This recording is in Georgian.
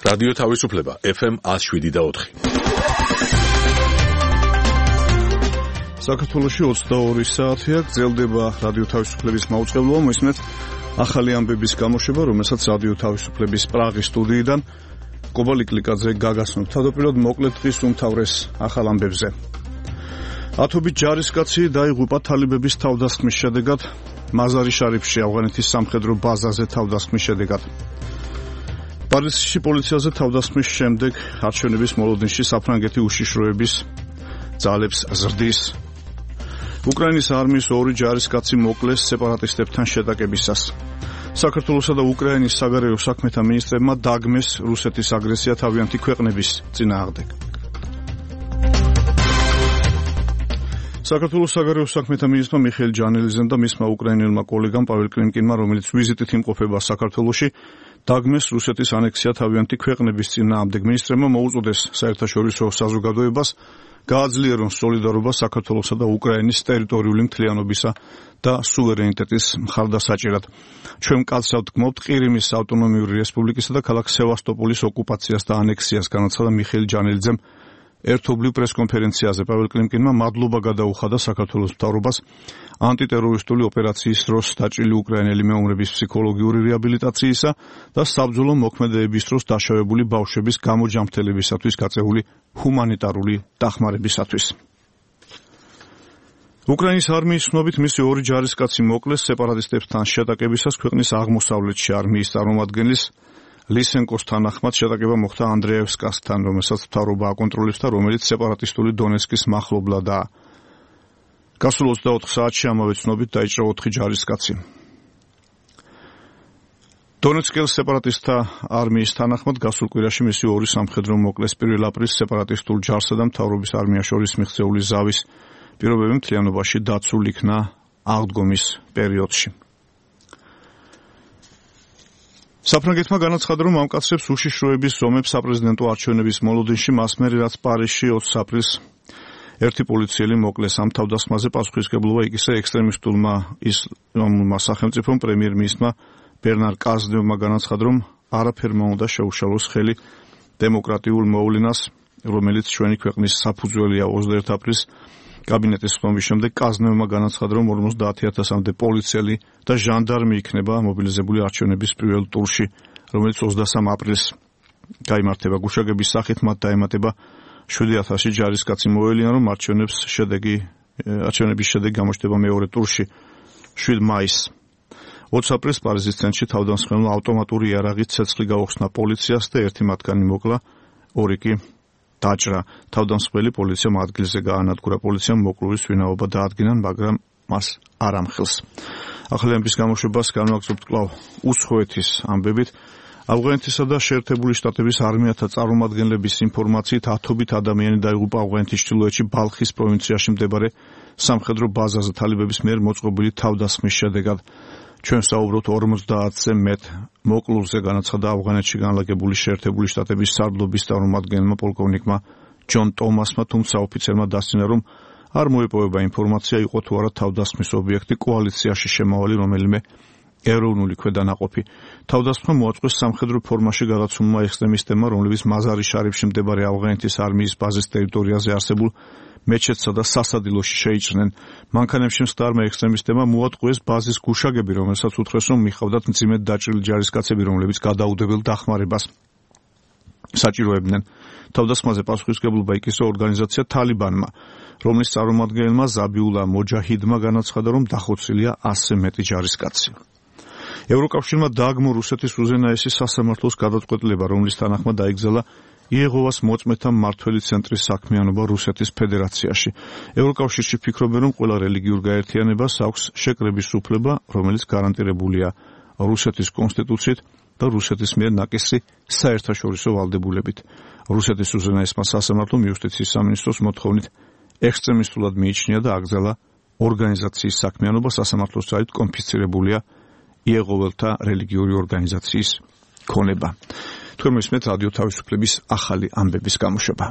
რადიო თავისუფლება FM 107.4. საქართველოში 22 საათია გრძელდება რადიო თავისუფლების მაუწყებლობა. მოისმენთ ახალი ამბების გამოშვება, რომელსაც რადიო თავისუფლების პრაღის სტუდიიდან კობალი კლიკაძე გაგაცნობთ. თავდაპირველად მოკლედ დღის უმთავრეს ახალ ამბებზე. ათობით ჯარისკაცი დაიღუპა თალიბების თავდასხმის შედეგად მაზარი შარიფში, ავღანეთის სამხედრო ბაზაზე თავდასხმის შედეგად. პარიზში პოლიციაზე თავდასხმის შემდეგ არჩევნების მოლოდინში საფრანგეთი უშიშროების ძალებს ზრდის. უკრაინის არმიის 2 ჯარისკაცი მოკლეს სეპარატისტებთან შეტაკებისას. საქართველოსა და უკრაინის საგარეო საქმეთა მინისტრებმა დაგმეს რუსეთის აგრესია თავიანთი ქვეყნების წინააღმდეგ. საქართველოს საგარეო საქმეთა მინისტრმა მიხეილ ჯანელიზემ და მისმა უკრაინელმა კოლეგამ პაվել კლიმკინმა, რომელიც ვიზიტით იმყოფება საქართველოში, დაგმეს რუსეთის ანექსია თავიანთი ქვეყნების წინააღმდეგ. მინისტრებმა მოუწოდეს საერთაშორისო საზოგადოებას გააძლიერონ სოლიდარობა საქართველოსა და უკრაინის ტერიტორიული მთლიანობისა და სუვერენიტეტის მხარდასაჭერად. ჩვენ მკაცრად გმობთ ყირიმის ავტონომიური რესპუბლიკისა და ქალაქ სევასტოპოლის ოკუპაციას და ანექსიას, განაცხადა მიხეილ ჯანელიძემ ერთობლივ პრესკონფერენციაზე. პაվել კლიმკინმა მადლობა გადაუხადა საქართველოს მთავრობას ანტიტერორისტული ოპერაციის დროს დაჭრილი უკრაინელი მეომრების ფსიქოლოგიური რეაბილიტაციისა და საბრძოლო მოქმედებების დროს დაშავებული ბავშვების გამოჯამრთელებისათვის გაწეული ჰუმანიტარული დახმარებისათვის. უკრაინის არმიის ცნობით მისი 2 ჯარისკაცი მოკლეს სეპარატისტებთან შეტაკებისას ქვეყნის აღმოსავლეთში. არმიის წარმომადგენლის ლისენკოს თანახმად შეტაკება მოხდა ანდრეევსკასთან, რომელსაც მთავრობა აკონტროლებს და რომელიც სეპარატისტული დონეცკის მახლობლადაა. გასულ 24 საათში ამავე ცნობით დაიჭრა 4 ჯარისკაცი. დონეცკის სეპარატისტთა არმიის თანახმად გასულ კვირაში მისი 2 სამხედრო მოკლეს. 1 აპრილს სეპარატისტულ ჯარსა და მთავრობის არმიას შორის მიღწეული ზავის პირობები მთლიანობაში დაცულ იქნა აღდგომის პერიოდში. საფრანგეთმა განაცხადა, რომ ამკაცრებს უშიშროების ზომებს საპრეზიდენტო არჩევნების მოლოდინში, მას მერე რაც პარიზში 20 აპრილს ერთი პოლიციელი მოკლეს. ამ თავდასხმაზე პასუხისმგებლობა იგისა ექსტრემისტულმა ისლამურმა სახელმწიფომ. პრემიერ-მინისტრმა ბერნარ კაზნევმა განაცხადა, რომ არაფერმა უნდა შეუშალოს ხელი დემოკრატიულ მოვლენას, რომელიც ჩვენი ქვეყნის საფუძველია. 21 აპრილს კაბინეტის ხმობის შემდეგ კაზნევმა განაცხადა, რომ 50,000-მდე პოლიციელი და ჟანდარმი იქნება მობილიზებული არჩევნების პირველ ტურში, რომელიც 23 აპრილს გაიმართება. გუშაგების სახით მათ დაემატება 7,000 ჯარისკაცი. მოელიან, რომ არჩევნების შედეგი გამოჩნდება მეორე ტურში 7 მაისს. 20 აპრილს პარიზის ცენტრში თავდამსხმელმა ავტომატური იარაღით ცეცხლი გაუხსნა პოლიციას და ერთი მათგანი მოკლა, 2 კი დაჭრა. თავდამსხმელი პოლიციამ ადგილზე გაანადგურა. პოლიციამ მოკლურის ვინაობა დაადგინა, მაგრამ მას არ ამხილს. ახალი ამბის გამოშვებას განვაგრძობთ კვლავ უცხოეთის ამბებით. ავღანეთისა და შეერთებული შტატების არმიათა წარმომადგენლების ინფორმაციით 10 ადამიანი დაიღუპა ავღანეთის ჩრდილოეთში ბალხის პროვინციაში მდებარე სამხედრო ბაზაზე თალიბების მიერ მოწყობილი თავდასხმის შედეგად. ჩვენ საუბრობთ 50-ზე მეტ მოკლულზე, განაცხადა ავღანეთში განლაგებული შეერთებული შტატების სარდლობის წარმომადგენელმა პოლკოვნიკმა ჯონ ტომასმა, თუმცა ოფიცერმა დასცინა, რომ არ მოეპოვება ინფორმაცია, იყო თუ არა თავდასხმის ობიექტი კოალიციაში შემავალი რომელიმე ეროვნული ქვედანაყოფი. თავდასხმა მოაწყვეს სამხედრო ფორმაში გადაცულმა ექსტრემისტებმა, რომლებიც მაზარი შარიფში მდებარე ავღანეთის არმიის ბაზის ტერიტორიაზე არსებულ მეჩეთსა და სასადილოში შეიჭრნენ. მანქანებში მსხდარმა ექსტრემისტებმა მოატყვეს ბაზის გუშაგები, რომელსაც უთხრეს, რომ მიხავდათ მძიმედ დაჭრილი ჯარისკაცები, რომლებიც გადაუდებელ დახმარებას საჭიროებდნენ. თავდასხმაზე პასუხისმგებლობა იკისრა ორგანიზაცია თალიბანმა, რომლის წარმომადგენელმა ზაბიულა მოჯაჰიდმა განაცხადა, რომ დახოცილია 100-ზე მეტი ჯარისკაცი. ევროკავშირმა დააგმო რუსეთის უზენაესი სასამართლოს გადაწყვეტილება, რომლის თანახმად დაიგზალა იეღოვას მოწმეთა მმართველი ცენტრის საქმიანობა რუსეთის ფედერაციაში. ევროკავშირში ფიქრობენ, რომ ყველა რელიგიურ გაერთიანებას აქვს შეკრების უფლება, რომელიც გარანტირებულია რუსეთის კონსტიტუციით და რუსეთის მიერ ნაკისრი საერთაშორისო ვალდებულებით. რუსეთის უზენაესმა სასამართლომ იუსტიციის სამინისტროს მოთხოვნით ექსტრემისტულად მიიჩნია და აკრძალა ორგანიზაციის საქმიანობა. სასამართლოს ძალით კონფისცირებულია იეღოველთა რელიგიური ორგანიზაციის ქონება. თქვენ მისმენთ რადიო თავისუფლების ახალი ამბების გამოშვება.